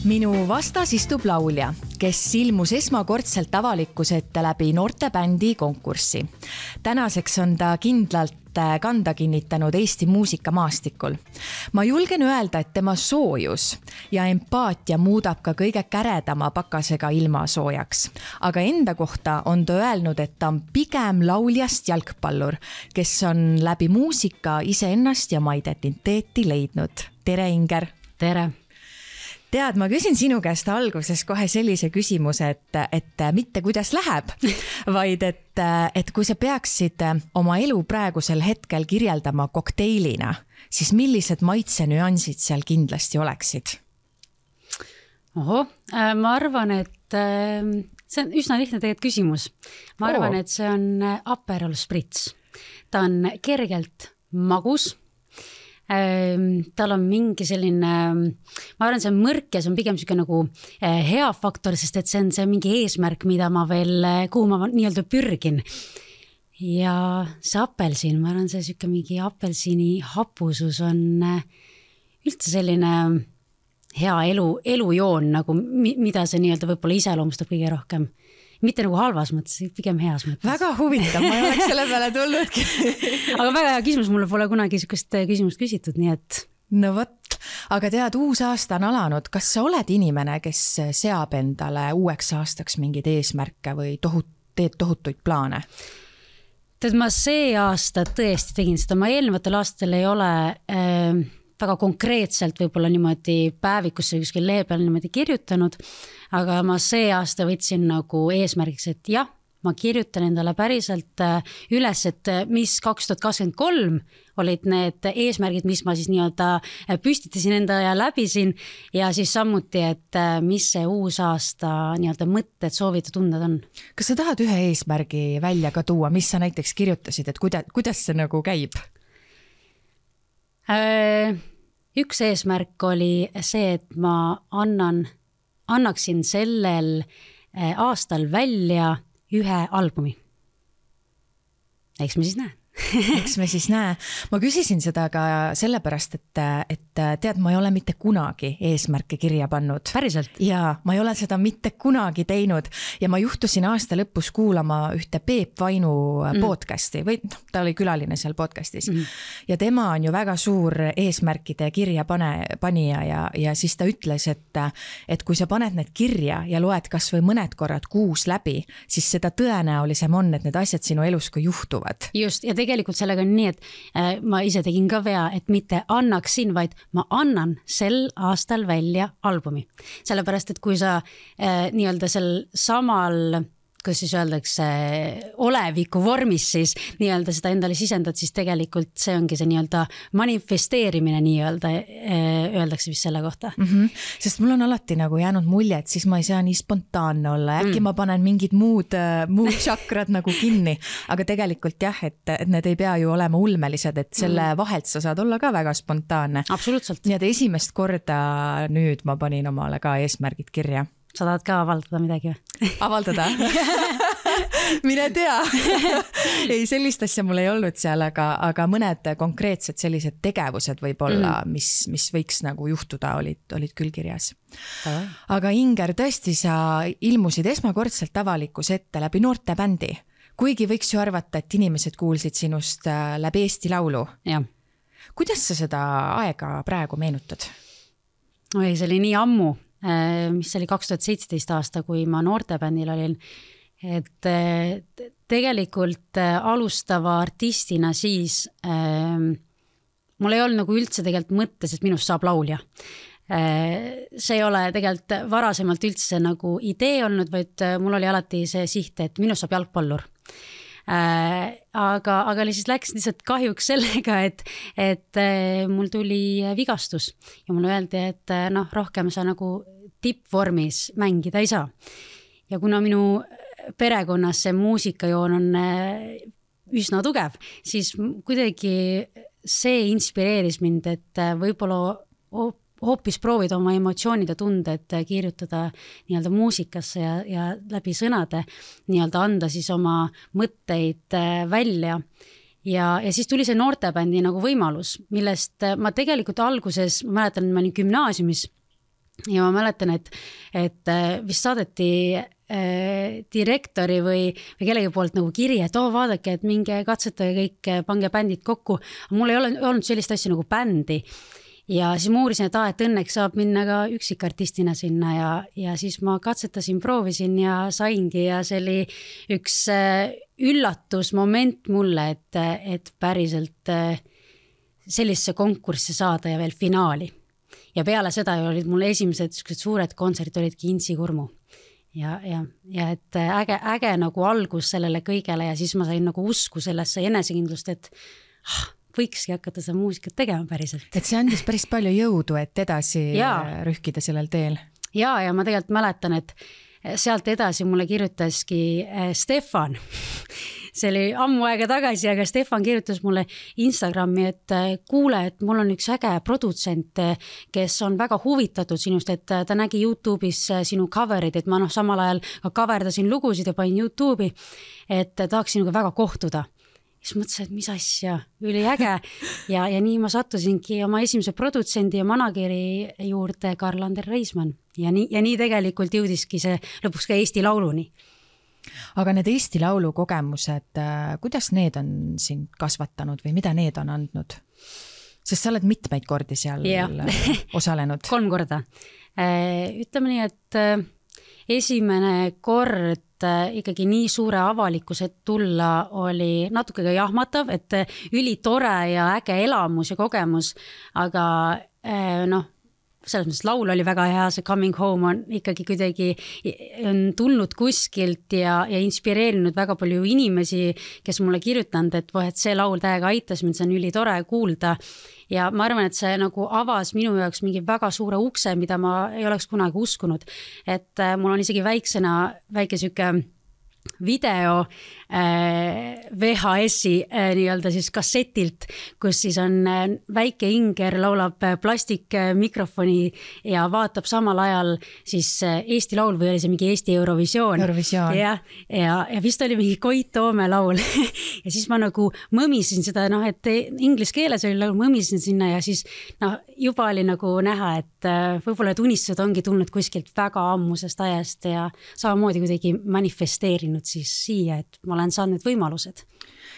Minu vastas istub laulja, kes ilmus esmakordselt avalikkuse ette läbi noortebändi konkurssi. Tänaseks on ta kindlalt kanda kinnitanud Eesti muusikamaastikul. Ma julgen öelda, et tema soojus ja empaatia muudab ka kõige käredama pakasega ilma soojaks. Aga enda kohta on ta öelnud, et ta on pigem lauljast jalgpallur, kes on läbi muusika iseennast ja oma identiteeti leidnud. Tere, Inger! Tere! Tead, ma küsin sinu käest alguses kohe sellise küsimuse, et mitte kuidas läheb, vaid et kui sa peaksid oma elu praegusel hetkel kirjeldama kokteilina, siis millised maitsenüansid seal kindlasti oleksid? Ma arvan, et see on üsna lihtne tegelikult küsimus. Ma arvan, et see on Aperol Spritz. Ta on kergelt magus. Tal on mingi selline, ma arvan, see on mõrk ja see on pigem selline nagu hea faktor, sest et see on see mingi eesmärk, mida ma veel, kuhu ma nii-öelda pürgin. Ja see apelsin, ma arvan, see selline mingi apelsini hapusus on üldse selline hea elujoon, nagu, mida see nii-öelda võib-olla iseloomustab kõige rohkem. Mitte nagu halvas mõttes, pigem heas mõttes. Väga huvitav, ma ei oleks selle peale tulnudki. Aga väga hea küsimus, mulle pole kunagi sellist küsimust küsitud, nii et... No võt, aga tead, uus aasta on alanud. Kas sa oled inimene, kes seab endale uueks aastaks mingid eesmärke või teed tohutuid plaane? Tead, ma see aasta tõesti tegin seda. Ma eelnevatel aastatel ei ole väga konkreetselt võib-olla niimoodi päevikusse kuskil lehe peal niimoodi kirjutanud, aga ma see aasta võtsin nagu eesmärgiks, et jah, ma kirjutan endale päriselt üles, et mis 2023 olid need eesmärgid, mis ma siis nii-öelda püstitasin enda ja läbisin ja siis samuti, et mis see uus aasta nii-öelda mõtted, soovid ja tunded on. Kas sa tahad ühe eesmärgi välja ka tuua, mis sa näiteks kirjutasid, et kuidas see nagu käib? Üks eesmärk oli see, et ma annaksin sellel aastal välja ühe albumi. Eks me siis näe. Eks me siis näe. Ma küsisin seda ka sellepärast, et tead, ma ei ole mitte kunagi eesmärke kirja pannud. Päriselt? Ja ma ei ole seda mitte kunagi teinud ja ma juhtusin aasta lõpus kuulama ühte Peep Vainu podcasti või ta oli külaline seal podcastis ja tema on ju väga suur eesmärkide kirja panija ja siis ta ütles, et kui sa paned need kirja ja loed kas või mõned korrad kuus läbi, siis seda tõenäolisem on, et need asjad sinu elus ka juhtuvad. Just, ja tegelikult sellega on nii, et ma ise tegin ka vea, et mitte annaksin, vaid ma annan sel aastal välja albumi. Sellepärast, et kui sa nii-öelda sel samal, kus siis öeldakse oleviku vormis siis nii-öelda seda endale sisendad, siis tegelikult see ongi see nii-öelda manifesteerimine nii-öelda öeldakse vist selle kohta. Sest mul on alati nagu jäänud mulje, et siis ma ei saa nii spontaanne olla. Äkki ma panen mingid muud tšakrad nagu kinni, aga tegelikult jah, et need ei pea ju olema ulmelised, et selle vahelt sa saad olla ka väga spontaanne. Absoluutselt. Nii et esimest korda nüüd ma panin omale ka eesmärgid kirja. Sa tahad ka avaldada midagi või? Avaldada? Mine tea. Ei, sellist asja mul ei olnud seal, aga mõned konkreetsed sellised tegevused võib-olla, mis võiks nagu juhtuda, olid küll kirjas. Aga Inger, tõesti sa ilmusid esmakordselt avalikkuse ette läbi noortebändi. Kuigi võiks ju arvata, et inimesed kuulsid sinust läbi Eesti Laulu. Ja. Kuidas sa seda aega praegu meenutad? Oi, see oli nii ammu. Mis oli 2017 aasta, kui ma noortebändil olin, et tegelikult alustava artistina siis mul ei olnud nagu üldse tegelikult mõttes, et minust saab laulja. See ei ole tegelikult varasemalt üldse nagu idee olnud, vaid mul oli alati see siht, et minust saab jalgpallur. Aga siis läks lihtsalt kahjuks sellega, et mul tuli vigastus ja mulle öeldi, et rohkem sa nagu tippvormis mängida ei saa. Ja kuna minu perekonnas see muusikajoon on üsna tugev, siis kuidagi see inspireeris mind, et võib-olla hoopis proovida oma emotsioonid ja tunded kirjutada nii-öelda muusikasse ja läbi sõnade nii-öelda anda siis oma mõtteid välja. Ja siis tuli see noortebändi nagu võimalus, millest ma tegelikult alguses, ma mäletan, ma olin gümnaasiumis ja ma mäletan, et vist saadeti direktori või kellegi poolt nagu kiri, et vaadake, et minge katsetage kõik, pange bändid kokku. Mul ei olnud sellist asja nagu bändi. Ja siis ma uurisin, et õnneks saab minna ka üksikartistina sinna ja siis ma katsetasin, proovisin ja saingi ja see oli üks üllatusmoment mulle, et päriselt sellisesse konkurssi saada ja veel finaali. Ja peale seda olid mul esimesed suured kontserdid olid Intsikurmu. Ja et äge nagu algus sellele kõigele ja siis ma sain nagu usku sellesse enesekindlust, et võikski hakata seda muusikat tegema päriselt. Et see andis päris palju jõudu, et edasi rühkida sellel teel. Ja ma tegelikult mäletan, et sealt edasi mulle kirjutaski Stefan. See oli ammu aega tagasi, aga Stefan kirjutas mulle Instagrami, et kuule, et mul on üks äge produtsent, kes on väga huvitatud sinust, et ta nägi YouTube'is sinu coverid, et ma samal ajal ka coverdasin lugusid ja panin YouTube'i, et tahaks sinuga väga kohtuda. Siis mõtlesin, et mis asja, üli äge ja nii ma sattusingi oma esimese produtsendi ja manageri juurde Karl-Ander Reismann ja nii tegelikult jõudiski see lõpuks ka Eesti Lauluni. Aga need Eesti Laulu kogemused, kuidas need on sind kasvatanud või mida need on andnud? Sest sa oled mitmeid kordi seal osalenud. 3 korda. Ütleme nii, et esimene kord ikkagi nii suure avalikkuse tulla oli natuke ka jahmatav, et üli tore ja äge elamus ja kogemus, aga selles mõttes laul oli väga hea, see Coming Home on ikkagi kuidagi on tulnud kuskilt ja inspireerinud väga palju inimesi, kes mulle kirjutanud, et see laul täiega aitas mind, see on üli tore kuulda. Ja ma arvan, et see nagu avas minu jaoks mingi väga suure ukse, mida ma ei oleks kunagi uskunud. Et mul on isegi väike süke video VHS-i nii-öelda siis kassetilt, kus siis on väike Inger laulab plastikmikrofoni ja vaatab samal ajal siis Eesti laul või oli see mingi Eesti Eurovisioon. Ja vist oli mingi Koit Toome laul ja siis ma nagu mõmisin seda, et inglise keeles oli laul, mõmisin sinna ja siis juba oli nagu näha, et võib-olla et unistused ongi tulnud kuskilt väga ammusest ajast ja samamoodi kuidagi manifesteerinud siis siia, et ma olen saanud need võimalused.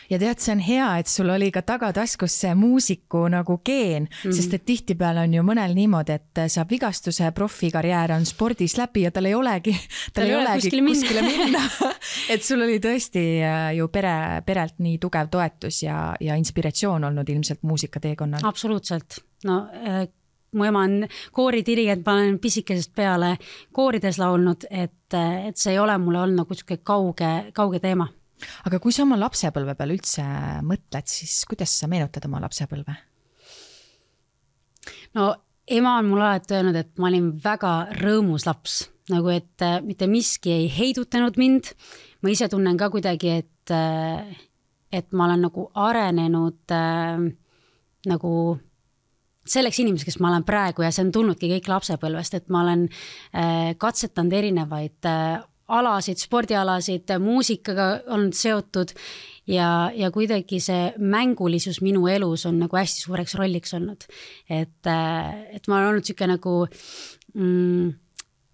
Ja tead, see on hea, et sul oli ka tagataskus see muusiku nagu geen, sest et tihtipeale on ju mõnel niimoodi, et saab vigastuse, profikarjäär on spordis läbi ja tal ei olegi kuskile minna. Et sul oli tõesti ju perelt nii tugev toetus ja inspiratsioon olnud ilmselt muusikateekonnal. Absoluutselt. Mu ema on kooridirigent, ma olen pisikesest peale koorides laulnud, et see ei ole mulle olnud nagu kauge teema. Aga kui sa oma lapsepõlve peal üldse mõtled, siis kuidas sa meenutad oma lapsepõlve? Ema on mulle alati öelnud, et ma olin väga rõõmus laps, nagu et mitte miski ei heidutanud mind. Ma ise tunnen ka kuidagi, et ma olen nagu arenenud nagu selleks inimeseks, kes ma olen praegu ja see on tulnudki kõik lapsepõlvest, et ma olen katsetanud erinevaid alasid, spordialasid, muusikaga on seotud ja kuidagi see mängulisus minu elus on nagu hästi suureks rolliks olnud. Et ma olen olnud siuke nagu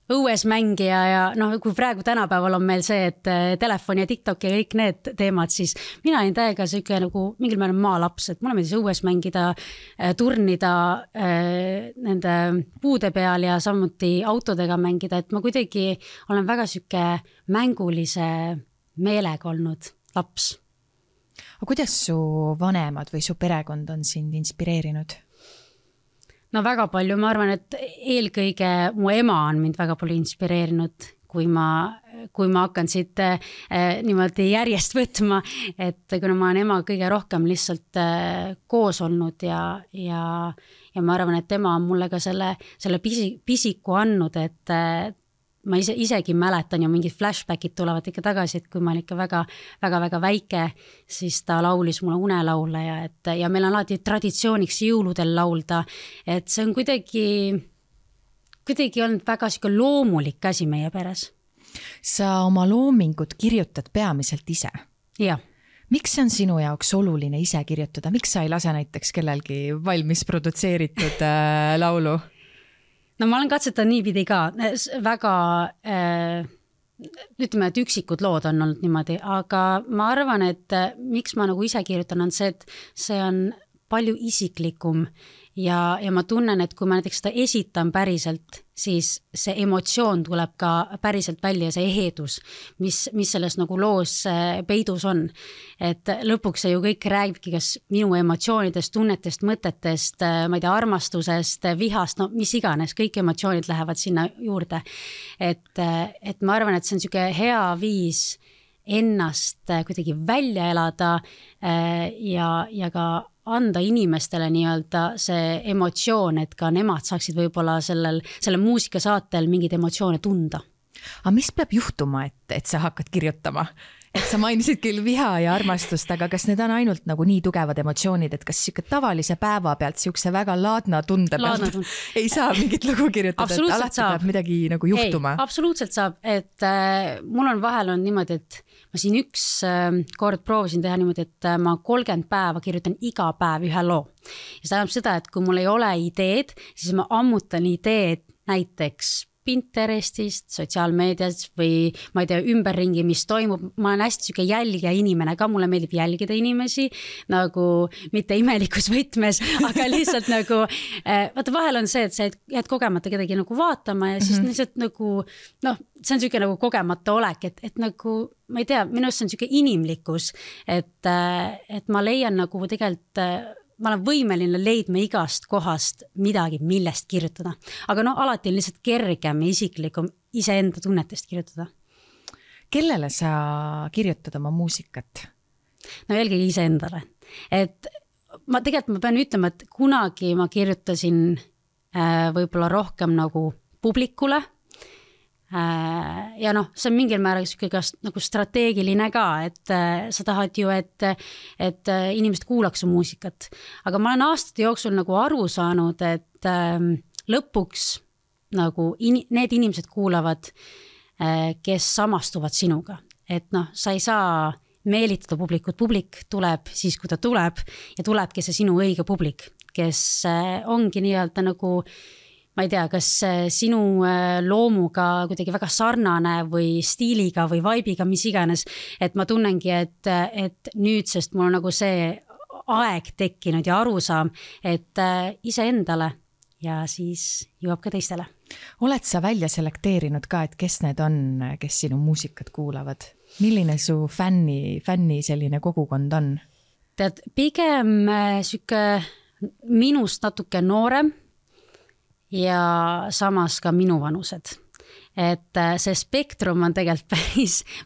õues mängija ja kui praegu tänapäeval on meil see, et telefon ja TikTok ja kõik need teemad, siis mina olin täiega siuke nagu mingil määral maalaps, et mulle meeldis õues mängida, turnida nende puude peal ja samuti autodega mängida, et ma kuidagi olen väga siuke mängulise meelega olnud laps. Aga kuidas su vanemad või su perekond on sind inspireerinud? Väga palju, ma arvan, et eelkõige mu ema on mind väga palju inspireerinud, kui ma hakkan siit niimoodi järjest võtma, et kuna ma olen ema kõige rohkem lihtsalt koos olnud ja ma arvan, et tema on mulle ka selle pisiku andnud, et ma isegi mäletan ja mingid flashbackid tulevad ikka tagasi, et kui ma olin ikka väga väike, siis ta laulis mulle unelaule ja meil on alati traditsiooniks jõuludel laulda, et see on kuidagi olnud väga loomulik asi meie peres. Sa oma loomingut kirjutad peamiselt ise? Jah. Miks see on sinu jaoks oluline ise kirjutada? Miks sa ei lase näiteks kellelgi valmis produtseeritud laulu? no ma olen katsetanud niipidi ka, väga ütleme, et üksikud lood on olnud niimoodi, aga ma arvan, et miks ma nagu ise kirjutan, on see, et see on palju isiklikum ja ma tunnen, et kui ma näiteks seda esitan päriselt, siis see emotsioon tuleb ka päriselt välja, see ehedus, mis selles nagu loos peidus on. Et lõpuks see ju kõik räägibki kas minu emotsioonidest, tunnetest, mõtetest, ma ei tea, armastusest, vihast, no mis iganes, kõik emotsioonid lähevad sinna juurde. Et ma arvan, et see on niisugune hea viis ennast kuidagi välja elada ja ka anda inimestele nii-öelda see emotsioon, et ka nemad saaksid võib-olla selle muusikasaatel mingid emotsioone tunda. Aga mis peab juhtuma, et sa hakkad kirjutama? Et sa mainisid küll viha ja armastust, aga kas need on ainult nagu nii tugevad emotsioonid, et kas tavalise päeva pealt siukse väga laadna tunde pealt ei saa mingit lugu kirjutada, et alati peab midagi nagu juhtuma? Ei, absoluutselt saab, et mul on vahel on niimoodi, et ma siin üks kord proovisin teha niimoodi, et ma 30 päeva kirjutan iga päev ühe loo. Ja see tähendab seda, et kui mul ei ole ideed, siis ma ammutan ideed näiteks Pinterestist, sotsiaalmeediast või ma ei tea, ümberringi, mis toimub. Ma olen hästi süke jälgija inimene ka, mulle meeldib jälgida inimesi, nagu mitte imelikus võtmes, aga lihtsalt nagu, vaata vahel on see, et sa jääd kogemata kedagi nagu vaatama ja siis lihtsalt nagu, noh, see on süke nagu kogemata olek, et nagu, ma ei tea, minu arust see on süke inimlikkus, et ma leian nagu tegelikult ma olen võimeline leidma igast kohast midagi, millest kirjutada. Aga no alati on lihtsalt kergem ja isiklikum iseenda tunnetest kirjutada. Kellele sa kirjutad oma muusikat? No eelkõige iseendale. Et ma pean ütlema, et kunagi ma kirjutasin võib-olla rohkem nagu publikule. Ja noh, see on mingil määral nagu strateegiline ka, et sa tahad ju, et inimesed kuulaks su muusikat. Aga ma olen aastate jooksul nagu aru saanud, et lõpuks nagu need inimesed kuulavad, kes samastuvad sinuga. Et noh, sa ei saa meelitada publikut, publik tuleb siis, kui ta tuleb ja tulebki see sinu õige publik, kes ongi nii-öelda nagu ma ei tea, kas sinu loomuga kuidagi väga sarnane või stiiliga või vibe'iga, mis iganes, et ma tunnengi, et nüüdsest mul on nagu see aeg tekkinud ja arusaam, et iseendale ja siis jõuab ka teistele. Oled sa välja selekteerinud ka, et kes need on, kes sinu muusikat kuulavad? Milline su fänni selline kogukond on? Tead, pigem süke minust natuke noorem, ja samas ka minu vanused. Et see spektrum on tegelikult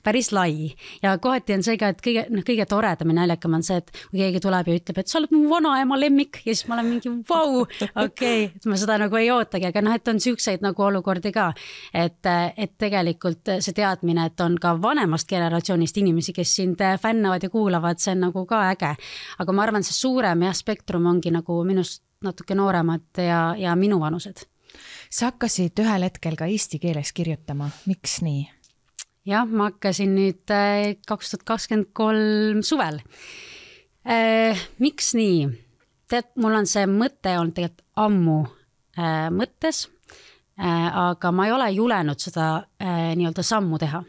päris lai ja kohati on see ka, et kõige toredam ja naljakam on see, et kui keegi tuleb ja ütleb, et sa oled mu vanaema lemmik ja siis ma olen mingi vau, okei, et ma seda nagu ei ootagi, aga noh, et on siukseid nagu olukordi ka, et tegelikult see teadmine, et on ka vanemast generatsioonist inimesi, kes sind fännavad ja kuulavad, see on nagu ka äge, aga ma arvan, see suurem ja spektrum ongi nagu minust natuke nooremad ja minu vanused. Sa hakkasid ühel hetkel ka eesti keeles kirjutama. Miks nii? Jah, ma hakkasin nüüd 2023 suvel. Miks nii? Tead, mul on see mõte olnud tegelikult ammu mõttes, aga ma ei ole julenud seda nii-öelda sammu teha.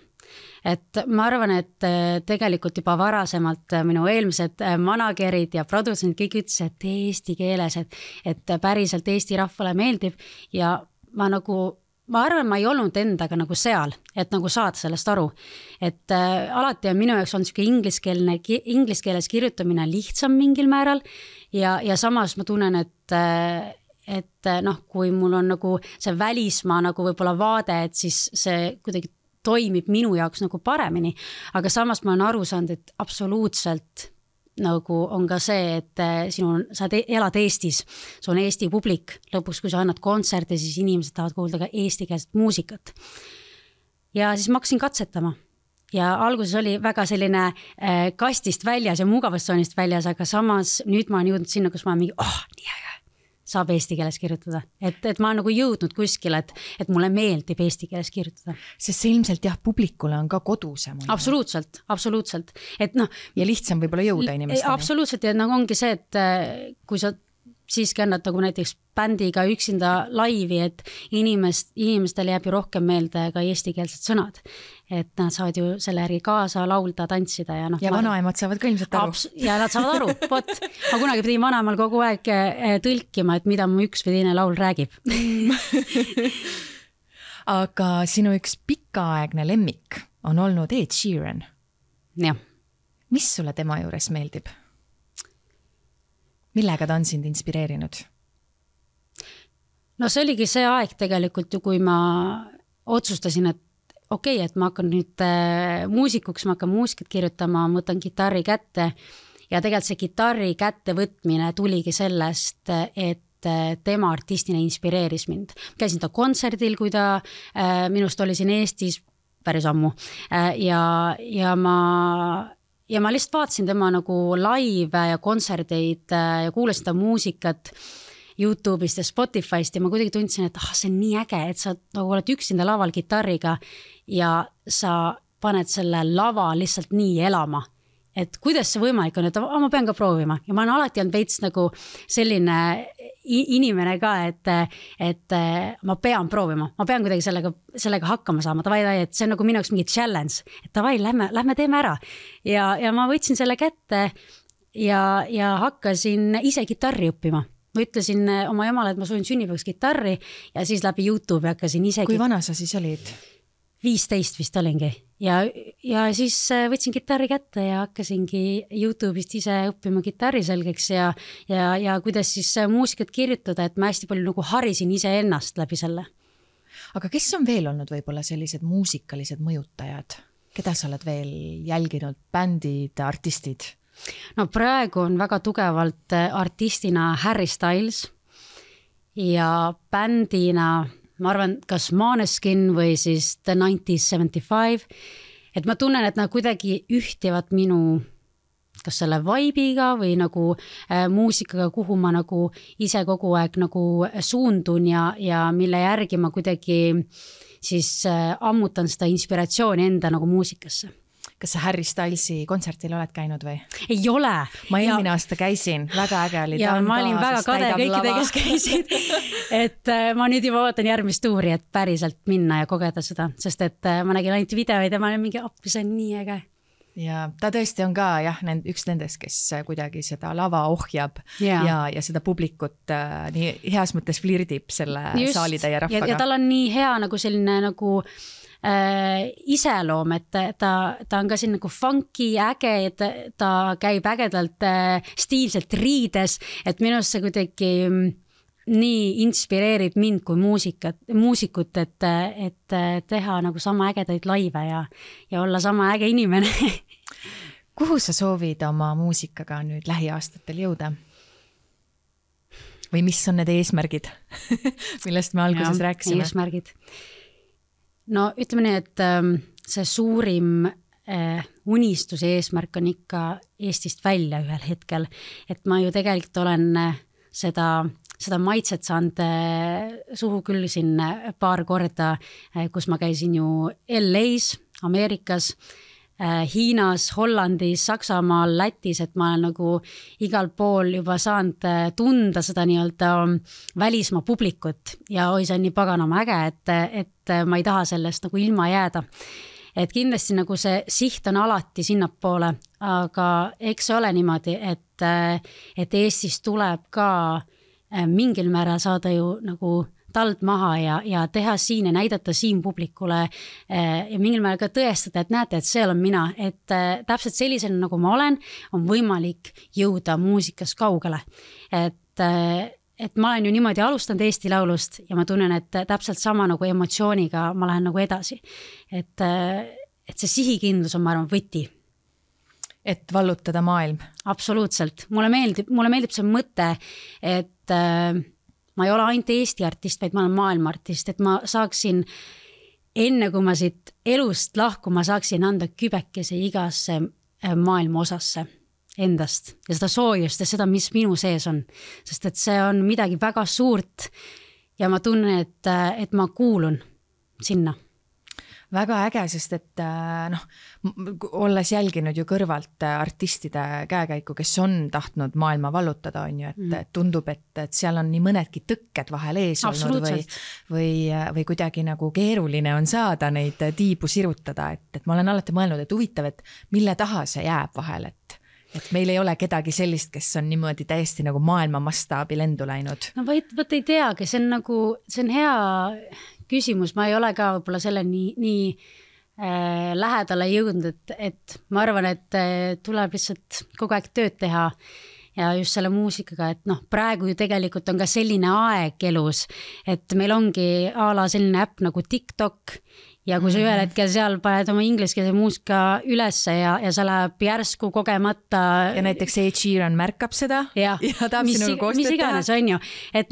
Et ma arvan, et tegelikult juba varasemalt minu eelmised managerid ja produtsendid kõik ütles, et eesti keeles, et päriselt eesti rahvale meeldib ja ma arvan, ma ei olnud endaga nagu seal, et nagu saada sellest aru. Et alati on minu jaoks olnud inglis keeles kirjutamine lihtsam mingil määral ja samas ma tunnen, et noh, kui mul on nagu see välismaa nagu võib-olla vaade, et siis see kuidagi toimib minu jaoks nagu paremini, aga samas ma olen aru saanud, et absoluutselt nagu on ka see, et sa elad Eestis, see on Eesti publik, lõpuks kui sa annad kontserte, siis inimesed tahavad kuulda ka eestikeelset muusikat. Ja siis ma hakkasin katsetama ja alguses oli väga selline kastist väljas ja mugavustsoonist väljas, aga samas nüüd ma olen jõudnud sinna, kus ma olen mingi, nii äge, saab eesti keeles kirjutada. Et ma olen nagu jõudnud kuskil, et mulle meeldib eesti keeles kirjutada. Sest see ilmselt jah, publikule on ka kodusem. Absoluutselt. Et noh, ja lihtsam võib-olla jõuda inimesteni. Absoluutselt ja nagu ongi see, et kui sa siiski annad nagu näiteks bändiga üksinda laivi, et inimestele jääb ju rohkem meelde ka eestikeelsed sõnad. Et nad saavad ju selle järgi kaasa laulda, tantsida ja ja vanaemad saavad ka ilmselt aru. Ja nad saavad aru, vot. Ma kunagi pidin vanaemal kogu aeg tõlkima, et mida mu üks või teine laul räägib. Aga sinu üks pikaaegne lemmik on olnud Ed Sheeran. Jah. Mis sulle tema juures meeldib? Millega ta on sind inspireerinud? No see oligi see aeg tegelikult ju, kui ma otsustasin, et okei, et ma hakkan nüüd muusikuks, ma hakkan muusikat kirjutama, ma võtan kitarri kätte ja tegelikult see kitarri kätte võtmine tuligi sellest, et tema artistina inspireeris mind. Käisin ta kontserdil, kui ta minust oli siin Eestis päris ammu ja ma lihtsalt vaatasin tema nagu live ja kontserdeid ja kuulasin ta muusikat YouTube'ist ja Spotify'st ja ma kuidagi tundsin, et see on nii äge, et sa nagu oled üksinda laval kitarriga ja sa paned selle lava lihtsalt nii elama. Et kuidas see võimalik on, et ma pean ka proovima ja ma olen alati olnud veits nagu selline inimene ka, et ma pean proovima, ma pean kuidagi sellega hakkama saama, et see on nagu minu jaoks mingi challenge, et davai, lähme teeme ära ja ma võtsin selle kätte ja hakkasin ise kitarri õppima. Ma ütlesin oma emale, et ma soovin sünnipäevaks kitarri ja siis läbi YouTube hakkasin ise. Kui vana sa siis olid? 15 vist olingi ja siis võtsin kitarri kätte ja hakkasingi YouTube'ist ise õppima kitarri selgeks ja kuidas siis muusikat kirjutada, et ma hästi palju nagu harisin ise ennast läbi selle. Aga kes on veel olnud võib-olla sellised muusikalised mõjutajad? Keda sa oled veel jälginud? Bändid, artistid? No praegu on väga tugevalt artistina Harry Styles ja bändina ma arvan, kas Måneskin või siis The 1975, et ma tunnen, et nad kuidagi ühtivad minu kas selle vibe'iga või nagu muusikaga, kuhu ma nagu ise kogu aeg nagu suundun ja mille järgi ma kuidagi siis ammutan seda inspiratsiooni enda nagu muusikasse. Kas sa Harry Stylesi kontsertil oled käinud või? Ei ole. Ma eelmine aasta käisin, väga äge oli. Ja ma olin väga kade kõikide, kes käisid. Et ma nüüd juba ootan järgmist tuuri, et päriselt minna ja kogeda seda, sest et ma nägin ainult videoid ja ma olin mingi appi, see on nii äge. Ja ta tõesti on ka üks nendest, kes kuidagi seda lava ohjab ja seda publikut nii heas mõttes flirdib selle saalitäie rahvaga. Ja tal on nii hea nagu selline nagu iseloom, et ta on ka siin nagu funky, äge, et ta käib ägedalt stiilselt riides, et minust see kuidagi nii inspireerib mind kui muusikut, et teha nagu sama ägedaid laive ja olla sama äge inimene. Kuhu sa soovid oma muusikaga nüüd lähiaastatel jõuda? Või mis on need eesmärgid, millest me alguses rääkisime? Eesmärgid. No ütleme nii, et see suurim unistuse eesmärk on ikka Eestist välja ühel hetkel, et ma ju tegelikult olen seda maitset saanud suhu küll siin paar korda, kus ma käisin ju LA-s, Ameerikas, Hiinas, Hollandis, Saksamaal, Lätis, et ma olen nagu igal pool juba saanud tunda seda nii-öelda välismaa publikut ja see on nii paganama äge, et ma ei taha sellest nagu ilma jääda. Et kindlasti nagu see siht on alati sinnapoole, aga eks see ole niimoodi, et Eestis tuleb ka mingil määral saada ju nagu tald maha ja teha siin ja näidata siin publikule ja mingil määral ka tõestada, et näete, et seal on mina, et täpselt sellisena nagu ma olen, on võimalik jõuda muusikas kaugele. Et ma olen ju niimoodi alustanud Eesti Laulust ja ma tunnen, et täpselt sama nagu emotsiooniga ma lähen nagu edasi. Et see sihikindlus on, ma arvan, võti. Et vallutada maailm? Absoluutselt. Mulle meeldib see mõte, et ma ei ole ainult Eesti artist, vaid ma olen maailma artist, et ma saaksin enne, kui ma siit elust lahku, ma saaksin anda kübekese igasse maailma osasse endast ja seda soojust ja seda, mis minu sees on, sest et see on midagi väga suurt ja ma tunnen, et ma kuulun sinna. väga äge, sest et olles jälginud ju kõrvalt artistide käekäiku, kes on tahtnud maailma vallutada, on ju, et tundub, et seal on nii mõnedki tõkked vahel ees olnud või kuidagi nagu keeruline on saada neid tiibu sirutada, et ma olen alati mõelnud, et huvitav, et mille taha see jääb vahel, et meil ei ole kedagi sellist, kes on niimoodi täiesti nagu maailma mastaabi lendu läinud. No võt ei teagi, see on hea küsimus, ma ei ole ka võib-olla selle nii lähedale jõudnud, et ma arvan, et tuleb lihtsalt kogu aeg tööd teha ja just selle muusikaga, et praegu ju tegelikult on ka selline aeg elus, et meil ongi a la selline äpp nagu TikTok ja kui sa ühel hetkel seal paned oma ingliskeelse muusika ülesse ja see läheb järsku kogemata. Ja näiteks Ed Sheeran märkab seda ja tahab sinuga koostööd teha. Mis iganes on ju, et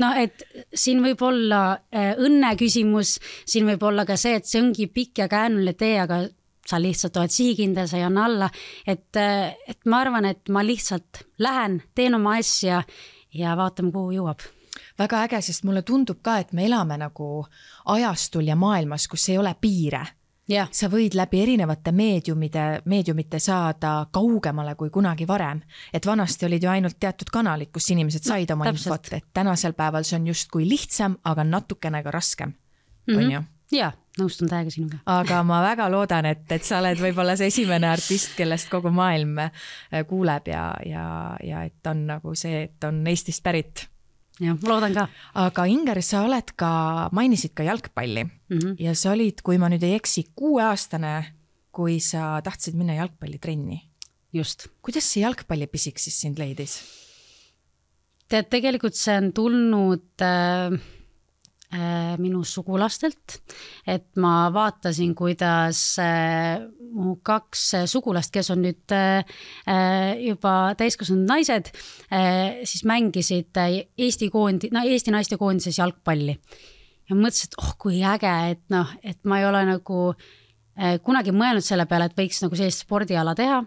siin võib olla õnne küsimus, siin võib olla ka see, et see ongi pikk ja käänuline tee, aga sa lihtsalt oled sihikindel, sa ei anna alla, et ma arvan, et ma lihtsalt lähen, teen oma asja ja vaatame, kuhu jõuab. Väga äge, sest mulle tundub ka, et me elame nagu ajastul ja maailmas, kus ei ole piire. Ja. Sa võid läbi erinevate meediumite saada kaugemale kui kunagi varem. Et vanasti olid ju ainult teatud kanalid, kus inimesed said oma infot, et tänasel päeval see on just kui lihtsam, aga natukene ka raskem. On ju? Ja, nõustun täiega sinuga. Aga ma väga loodan, et sa oled võib-olla see esimene artist, kellest kogu maailm kuuleb ja et on nagu see, et on Eestist pärit. Ja, ma loodan ka. Aga Inger, sa oled mainisid ka jalgpalli ja sa olid, kui ma nüüd ei eksi, 6-aastane, kui sa tahtsid minna jalgpallitrenni. Just. Kuidas see jalgpallipisik siis sind leidis? Tead, tegelikult see on tulnud minu sugulastelt, et ma vaatasin, kuidas mu 2 sugulast, kes on nüüd juba täiskasvanud naised, siis mängisid Eesti naiste koondises jalgpalli. Ja mõtlesin, et kui äge, et ma ei ole nagu kunagi mõelnud selle peale, et võiks nagu sellist spordiala teha.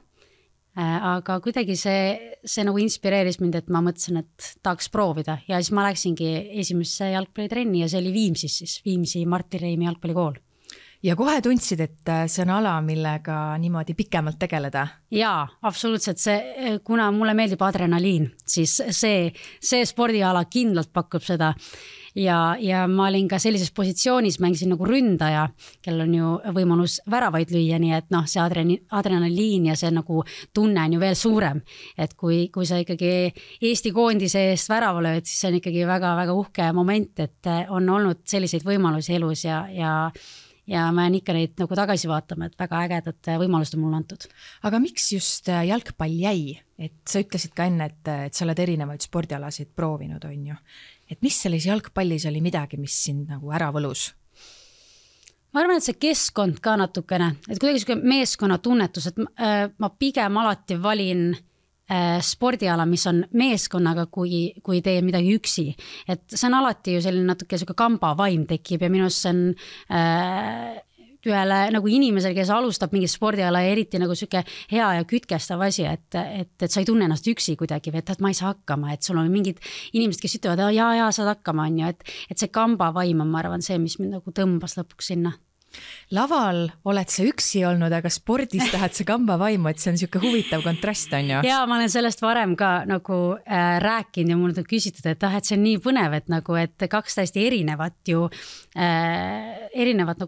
Aga kuidagi see nagu inspireeris mind, et ma mõtlesin, et tahaks proovida ja siis ma läksingi esimesse jalgpallitrenni ja see oli Viimsis siis, Viimsi Martti Reimi jalgpallikool. Ja kohe tundsid, et see on ala, millega niimoodi pikemalt tegeleda? Jaa, absoluutselt. Kuna mulle meeldib adrenaliin, siis see spordiala kindlalt pakub seda. Ja ma olin ka sellises positsioonis, mängisin nagu ründaja, kellel on ju võimalus väravaid lüüa, nii et see adrenaliin ja see nagu tunne on ju veel suurem. Et kui sa ikkagi Eesti koondise eest värava lööd, siis see on ikkagi väga-väga uhke moment, et on olnud selliseid võimalusi elus ja ma jään ikka neid nagu tagasi vaatama, et väga ägedat võimalust on mulle antud. Aga miks just jalgpall jäi? Et sa ütlesid ka enne, et sa oled erinevaid spordialasid proovinud, on ju. Et mis selles jalgpallis oli midagi, mis sind nagu ära võlus? Ma arvan, et see keskkond ka natukene, et kuidagi meeskonna tunnetus, et ma pigem alati valin spordiala, mis on meeskonnaga, kui tee midagi üksi. Et see on alati ju selline natuke kamba vaim tekib ja minus on ühele nagu inimesel, kes alustab mingi spordiala ja eriti nagu selline hea ja kütkestav asi, et sa ei tunne ennast üksi kuidagi, et ma ei saa hakkama, et sul on mingid inimesed, kes ütlevad, jaa, saad hakkama, on ju, et see kamba vaim on, ma arvan, see, mis mind nagu tõmbas lõpuks sinna. Laval oled sa üksi olnud, aga spordis tahad sa kamba vaimu, et see on selline huvitav kontrast, on ju? Jaa, ma olen sellest varem ka nagu rääkinud ja mul on küsitud, et see on nii põnev, et 2 täiesti erinevat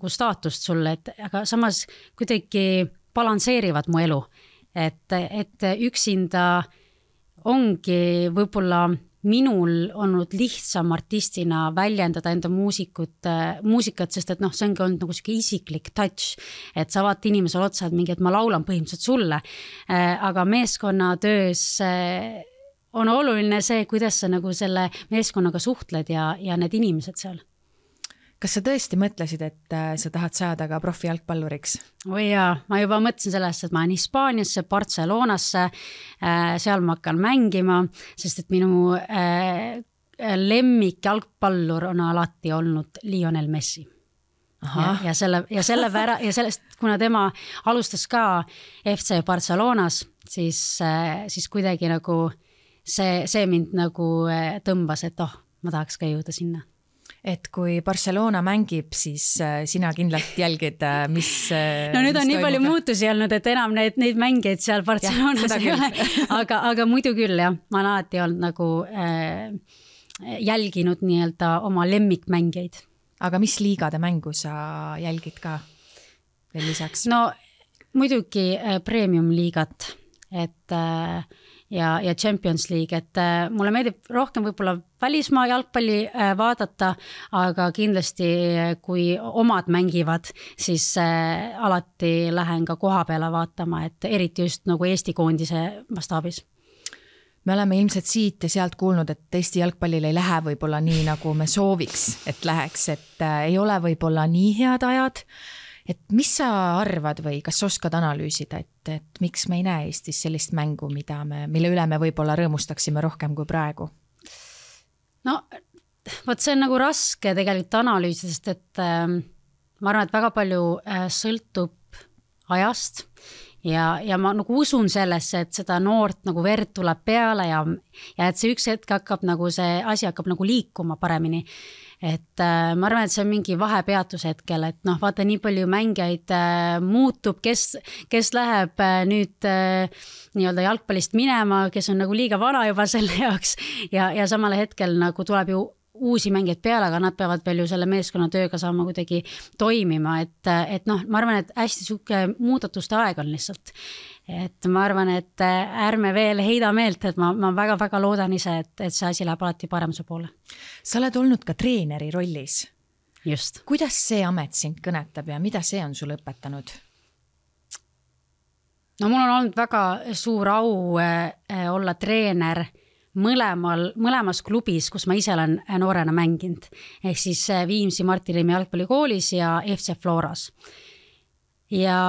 nagu staatust sulle, aga samas kuidagi balansseerivad mu elu, et üksinda ongi võib-olla minul olnud lihtsam artistina väljendada enda muusikat, sest et see ongi olnud nagu selline isiklik touch, et sa vaat inimesel otsa, et mingi, et ma laulan põhimõtteliselt sulle, aga meeskonnatöös on oluline see, kuidas sa nagu selle meeskonnaga suhtled ja need inimesed seal. Kas sa tõesti mõtlesid, et sa tahad saada ka profi jalgpalluriks? Oi jaa, ma juba mõtlesin sellest, et ma olen Hispaaniasse, Barcelonasse, seal ma hakkan mängima, sest et minu lemmik jalgpallur on alati olnud Lionel Messi. Ja sellest, kuna tema alustas ka FC Barcelonas, siis kuidagi nagu see mind nagu tõmbas, et ma tahaks ka jõuda sinna. et kui Barcelona mängib, siis sina kindlalt jälgid, mis no nüüd on nii palju muutusi olnud, et enam neid mängijaid seal Barcelonas ei ole, aga muidu küll jah, ma olen alati olnud nagu jälginud nii-öelda oma lemmikmängijaid. Aga mis liigade mängu sa jälgid ka veel lisaks? No muidugi premium liigat, et ja Champions League, et mulle meeldib rohkem võib-olla välismaa jalgpalli vaadata, aga kindlasti kui omad mängivad, siis alati lähen ka koha peale vaatama, et eriti just nagu Eesti koondise mastaabis. Me oleme ilmselt siit ja sealt kuulnud, et Eesti jalgpallil ei lähe võib-olla nii, nagu me sooviks, et läheks, et ei ole võib-olla nii head ajad. Et mis sa arvad või kas oskad analüüsida, et miks me ei näe Eestis sellist mängu, mille üle me võib-olla rõõmustaksime rohkem kui praegu? No, võt see on nagu raske tegelikult analüüsida, sest et ma arvan, et väga palju sõltub ajast ja ma nagu usun sellesse, et seda noort nagu verd tuleb peale ja et see üks hetk hakkab nagu see asi hakkab nagu liikuma paremini. Et ma arvan, et see on mingi vahepeatus hetkel, et noh, vaata nii palju mängijaid muutub, kes läheb nüüd nii-öelda jalgpallist minema, kes on nagu liiga vana juba selle jaoks ja samal hetkel nagu tuleb ju uusi mängijaid peale, aga nad peavad veel ju selle meeskonna tööga saama kuidagi toimima, et noh, ma arvan, et hästi suke muudatuste aeg on lihtsalt. Et ma arvan, et ärme veel heida meelt, et ma väga-väga loodan ise, et see asi läheb alati paremuse poole. Sa oled olnud ka treeneri rollis. Just. Kuidas see amet sind kõnetab ja mida see on sul õpetanud? No mul on olnud väga suur au olla treener mõlemas klubis, kus ma ise olen noorena mänginud. Ehk siis Viimsi Martti Liimi jalgpallikoolis ja FC Floras. Ja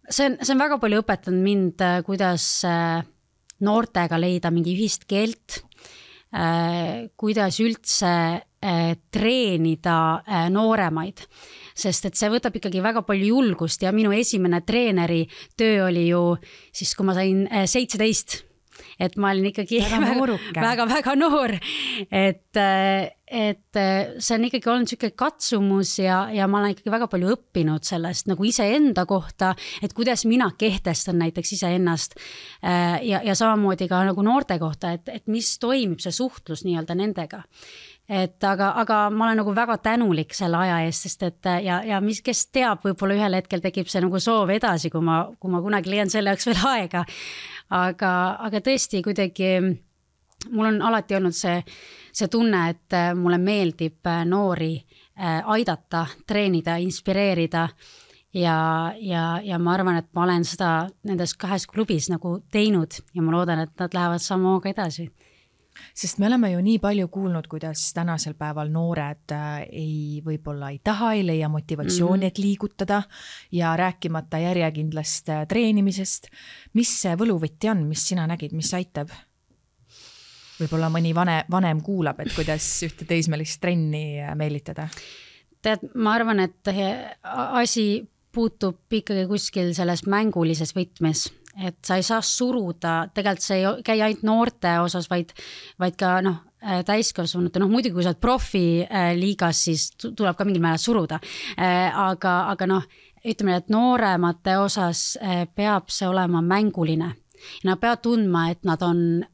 see on väga palju õpetanud mind, kuidas noortega leida mingi ühist keelt, kuidas üldse treenida nooremaid, sest et see võtab ikkagi väga palju julgust ja minu esimene treeneri töö oli ju siis, kui ma sain 17, et ma olin ikkagi väga noor, et see on ikkagi olnud selline katsumus ja ma olen ikkagi väga palju õppinud sellest nagu iseenda kohta, et kuidas mina kehtestan näiteks iseennast ja samamoodi ka nagu noorte kohta, et mis toimib see suhtlus nii-öelda nendega. Aga ma olen nagu väga tänulik selle aja eest, sest et ja mis, kes teab, võib-olla ühel hetkel tekib see nagu soov edasi, kui ma kunagi leian selle jaoks veel aega. Aga tõesti kuidagi mul on alati olnud see tunne, et mulle meeldib noori aidata, treenida, inspireerida ja ma arvan, et ma olen seda nendes 2 klubis nagu teinud ja ma loodan, et nad lähevad samaga edasi. Sest me oleme ju nii palju kuulnud, kuidas tänasel päeval noored võib-olla ei taha, ei leia motivatsiooni, et liigutada ja rääkimata järjekindlast treenimisest. Mis see võluvõtti on, mis sina nägid, mis aitab? Võib-olla mõni vanem kuulab, et kuidas ühte teismelist trenni meelitada? Tead, ma arvan, et asi puutub ikkagi kuskil selles mängulises võtmes. Et sa ei saa suruda, tegelikult see ei käi ainult noorte osas, vaid ka täiskasvanute, muidugi kui sa oled profiliigas, siis tuleb ka mingil määral suruda. Aga ütleme, et nooremate osas peab see olema mänguline. Ja nad peavad tundma, et nad on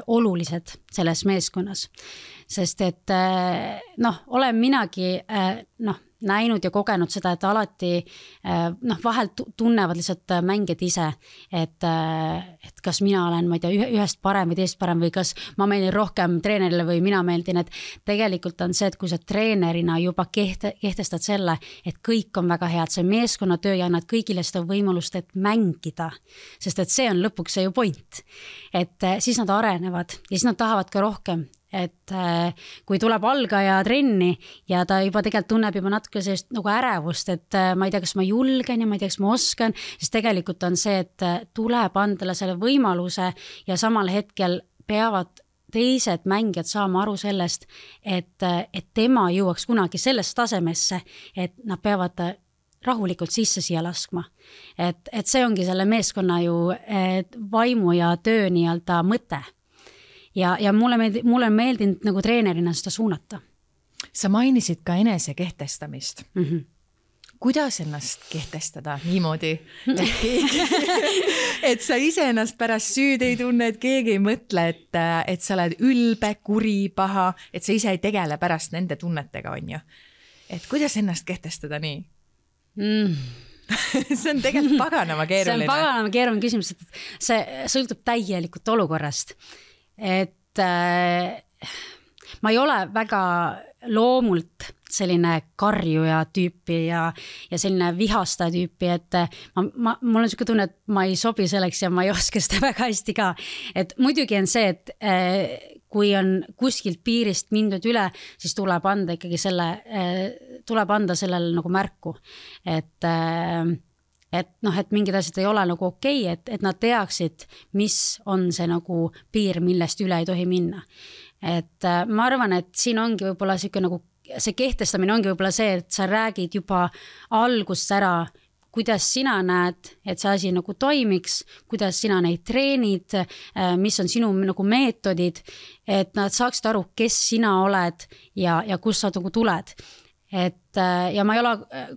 olulised selles meeskonnas. Sest et olen minagi näinud ja kogenud seda, et alati vahel tunnevad lihtsalt mängijad ise, et kas mina olen, ma ei tea, ühest parem või teist parem või kas ma meeldin rohkem treenerile või mina meeldin, et tegelikult on see, et kui sa treenerina juba kehtestad selle, et kõik on väga head, see meeskonnatöö ja annad kõigile seda võimalust, et mängida, sest et see on lõpuks see ju point, et siis nad arenevad ja siis nad tahavad ka rohkem. Et kui tuleb algaja trenni ja ta juba tegelikult tunneb juba natuke sellist nagu ärevust, et ma ei tea, kas ma julgen ja ma ei tea, kas ma oskan, siis tegelikult on see, et tuleb andele selle võimaluse ja samal hetkel peavad teised mängijad saama aru sellest, et tema jõuaks kunagi sellest tasemesse, et nad peavad rahulikult sisse siia laskma. Et see ongi selle meeskonna ju vaimu ja töö nii-öelda mõte. Ja mulle on meeldinud nagu treenerina seda suunata. Sa mainisid ka enese kehtestamist. Kuidas ennast kehtestada niimoodi, et sa ise ennast pärast süüd ei tunne, et keegi ei mõtle, et sa oled ülbe, kuri, paha, et sa ise ei tegele pärast nende tunnetega, on ju. Et kuidas ennast kehtestada nii? See on tegelikult paganama keeruline. See on paganama keeruline küsimus, et see sõltub täielikult olukorrast. Et ma ei ole väga loomult selline karjuja tüüpi ja selline vihastaja tüüpi, et mul on selline tunne, et ma ei sobi selleks ja ma ei oska seda väga hästi ka. Et muidugi on see, et kui on kuskilt piirist mindud üle, siis tuleb anda ikkagi tuleb anda sellele nagu märku, et mingid asjad ei ole nagu okei, et nad teaksid, mis on see nagu piir, millest üle ei tohi minna. Et ma arvan, et siin ongi võib-olla nagu, see kehtestamine ongi võib-olla see, et sa räägid juba algust ära, kuidas sina näed, et see asi nagu toimiks, kuidas sina neid treenid, mis on sinu nagu meetodid, et nad saaksid aru, kes sina oled ja kus sa nagu tuled. Ja ma ei ole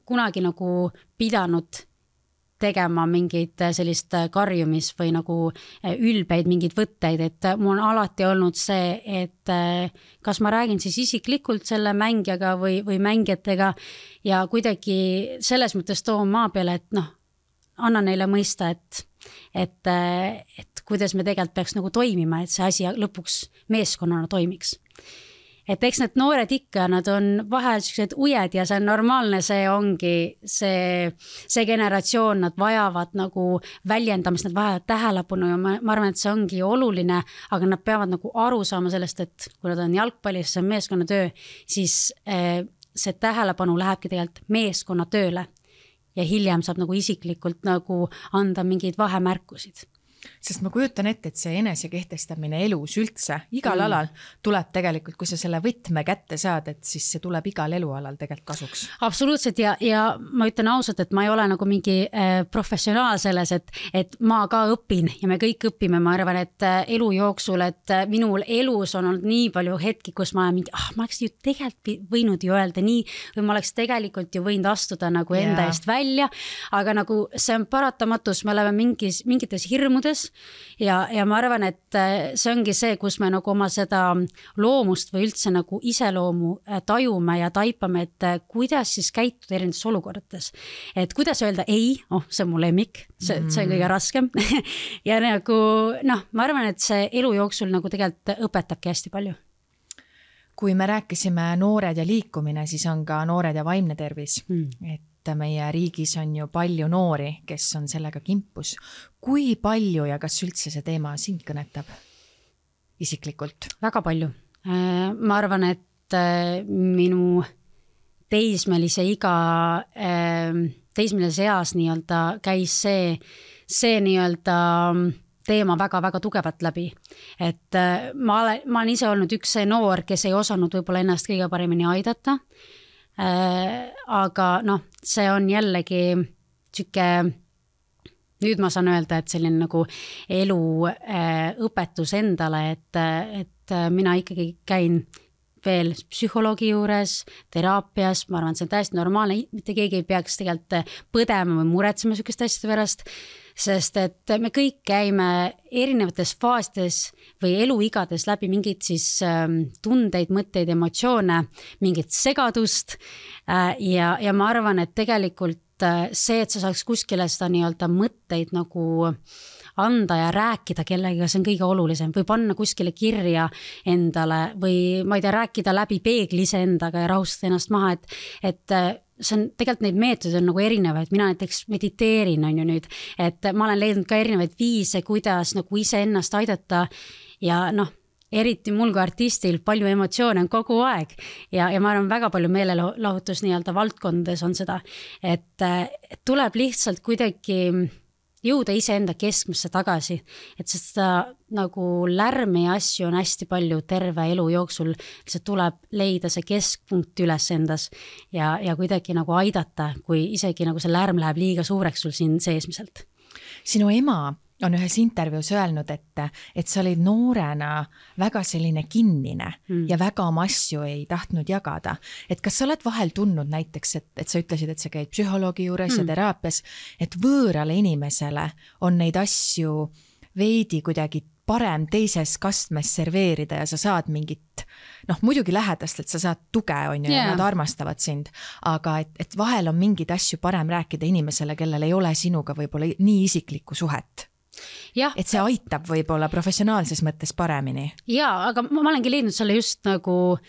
kunagi nagu pidanud tegema mingid sellist karjumis või nagu ülbeid mingid võtteid, et mul on alati olnud see, et kas ma räägin siis isiklikult selle mängijaga või mängijatega ja kuidagi selles mõttes toon maa peale, et annan neile mõista, et kuidas me tegelikult peaks nagu toimima, et see asi lõpuks meeskonnana toimiks. Et eks need noored ikka, nad on vahel sellised ujed ja see on normaalne, see ongi see generatsioon, nad vajavad nagu väljendamist, nad vajavad tähelepanu ja ma arvan, et see ongi oluline, aga nad peavad nagu aru saama sellest, et kui nad on jalgpallis, see on meeskonnatöö, siis see tähelepanu lähebki tegelikult meeskonnatööle ja hiljem saab nagu isiklikult nagu anda mingeid vahemärkusid. Sest ma kujutan ette, et see enese kehtestamine elus üldse, igal alal tuleb tegelikult, kui sa selle võtme kätte saad, et siis see tuleb igal elualal tegelikult kasuks. Absoluutselt ja ma ütlen ausalt, et ma ei ole nagu mingi professionaal selles, et ma ka õpin ja me kõik õpime, ma arvan, et elu jooksul, et minul elus on olnud nii palju hetki, kus ma olen mingi, ma oleks ju tegelikult võinud ju öelda nii, või ma oleks tegelikult ju võinud astuda nagu enda eest välja, aga nagu see on paratamatus, me oleme mingites hirmudes ja ma arvan, et see ongi see, kus me nagu oma seda loomust või üldse nagu iseloomu tajume ja taipame, et kuidas siis käituda erinevates olukordades. Et kuidas öelda ei, see on mu lemmik, see on kõige raskem ja nagu ma arvan, et see elu jooksul nagu tegelikult õpetabki hästi palju. Kui me rääkisime noored ja liikumine, siis on ka noored ja vaimne tervis, et meie riigis on ju palju noori, kes on sellega kimpus. Kui palju ja kas üldse see teema sind kõnetab isiklikult? Väga palju. Ma arvan, et minu teismelise eas nii-öelda käis see nii-öelda teema väga-väga tugevalt läbi. Et ma olen ise olnud üks see noor, kes ei osanud võib-olla ennast kõige paremini aidata. Aga see on jällegi nüüd ma saan öelda, et selline nagu elu õpetus endale, et mina ikkagi käin veel psühholoogi juures, teraapias, ma arvan, see on täiesti normaalne, mitte keegi ei peaks tegelikult põdema või muretsema sellist asjade pärast, sest et me kõik käime erinevates faasides või eluigades läbi mingid siis tundeid, mõtteid, emotsioone, mingit segadust ja ma arvan, et tegelikult see, et sa saaks kuskile seda nii-öelda mõtteid nagu anda ja rääkida kellegiga, see on kõige olulisem, või panna kuskile kirja endale või ma ei tea, rääkida läbi peegli iseendaga ja rahustada ennast maha, et see on tegelikult neid meetodeid on nagu erinevaid, mina näiteks mediteerin on ju nüüd, et ma olen leidnud ka erinevaid viise, kuidas nagu ise ennast aidata ja eriti mul kui artistil palju emotsioone on kogu aeg ja ma arvan väga palju meelelahutus nii-öelda valdkondades on seda, et tuleb lihtsalt kuidagi jõuda iseenda keskmesse tagasi, et seda nagu lärmi ja asju on hästi palju terve elu jooksul, see tuleb leida see keskpunkt üles endas ja kuidagi nagu aidata, kui isegi nagu see lärm läheb liiga suureks sul siin seesmiselt. Sinu ema on ühes intervjuus öelnud, et sa olid noorena väga selline kinnine ja väga oma asju ei tahtnud jagada. Et kas sa oled vahel tundnud näiteks, et sa ütlesid, et sa käid psühholoogi juures ja teraapias, et võõrale inimesele on neid asju veidi kuidagi parem teises kastmes serveerida ja sa saad mingit, muidugi lähedastelt sa saad tuge, on ju, ja nad armastavad sind, aga et vahel on mingid asju parem rääkida inimesele, kellel ei ole sinuga võib-olla nii isiklikku suhet. Ja. Et see aitab võib-olla professionaalses mõttes paremini. Jaa, aga ma olengi leidnud selle just nagu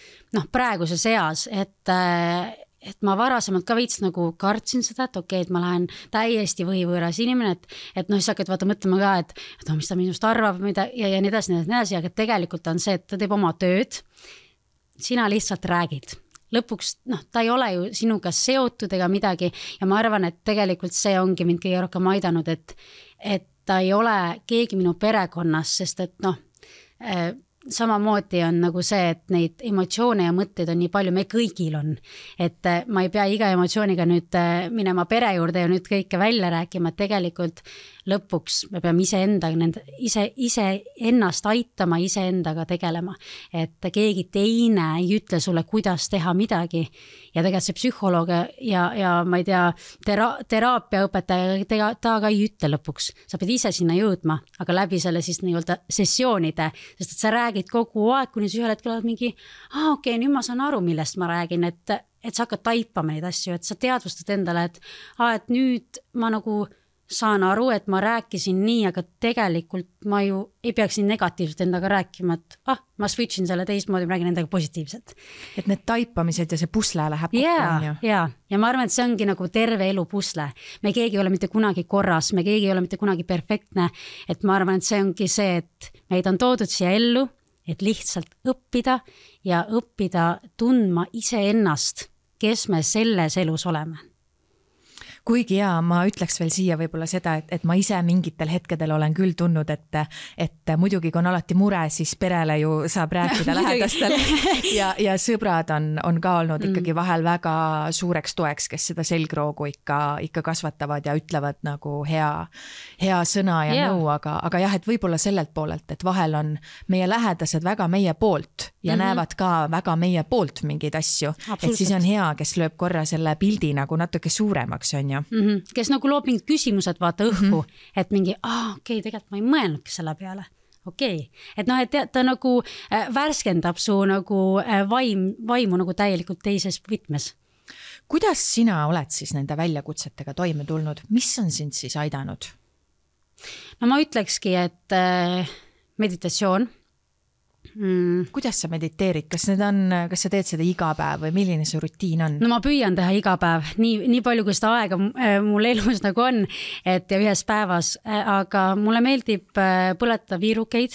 praeguses eas, et ma varasemalt ka veits nagu kartsin seda, et okei, et ma lähen täiesti võivõõras inimene, et siis hakkad vaata mõtlema ka, et mis ta minust arvab ja nii edasi, aga tegelikult on see, et ta teeb oma tööd, sina lihtsalt räägid. Lõpuks, ta ei ole ju sinuga seotud ega midagi ja ma arvan, et tegelikult see ongi mind kõige rohkem aidanud, et ta ei ole keegi minu perekonnas, sest et samamoodi on nagu see, et neid emotsioone ja mõtteid on nii palju, me kõigil on, et ma ei pea iga emotsiooniga nüüd minema pere juurde ja nüüd kõike välja rääkima, et tegelikult lõpuks me peame ise ennast aitama, ise endaga tegelema, et keegi teine ei ütle sulle, kuidas teha midagi ja tegelikult see psühholoog ja ma ei tea, teraapiaõpetaja, ta ka ei ütle lõpuks, sa pead ise sinna jõudma, aga läbi selle siis nii-öelda sessioonide, sest et sa räägid kogu aeg, kuni sa ühel hetkel oled mingi, okei, nüüd ma saan aru, millest ma räägin, et sa hakkad taipama neid asju, et sa teadvustad endale, et nüüd ma nagu saan aru, et ma rääkisin nii, aga tegelikult ma ju ei peaks nii negatiivselt endaga rääkima, et ma switchin selle teistmoodi, ma räägin endaga positiivselt. Et need taipamised ja see pusle läheb kokku. Ja ma arvan, et see ongi nagu terve elu pusle. Me keegi ei ole mitte kunagi korras, me keegi ei ole mitte kunagi perfektne, et ma arvan, et see ongi see, et meid on toodud siia ellu, et lihtsalt õppida ja õppida tundma iseennast, kes me selles elus oleme. Kuigi ma ütleks veel siia võib-olla seda, et ma ise mingitel hetkedel olen küll tundnud, et muidugi kui on alati mure, siis perele ju saab rääkida lähedastel ja sõbrad on ka olnud ikkagi vahel väga suureks toeks, kes seda selgroogu ikka kasvatavad ja ütlevad nagu hea sõna ja nõu, aga jah, et võib-olla sellelt poolelt, et vahel on meie lähedased väga meie poolt ja näevad ka väga meie poolt mingeid asju, et siis on hea, kes lööb korra selle pildi nagu natuke suuremaks, on ju. Kes nagu loob mingid küsimused vaata õhku, et mingi, okei, tegelikult ma ei mõelnudki selle peale. Okei. Et et ta nagu värskendab su nagu vaimu nagu täielikult teises võtmes. Kuidas sina oled siis nende väljakutsetega toime tulnud? Mis on sind siis aidanud? No ma ütlekski, et meditatsioon. Kuidas sa mediteerid? Kas sa teed seda iga päev või milline see rutiin on? No ma püüan teha iga päev, nii palju kui seda aega mul elus nagu on, et ja ühes päevas, aga mulle meeldib põletada viirukeid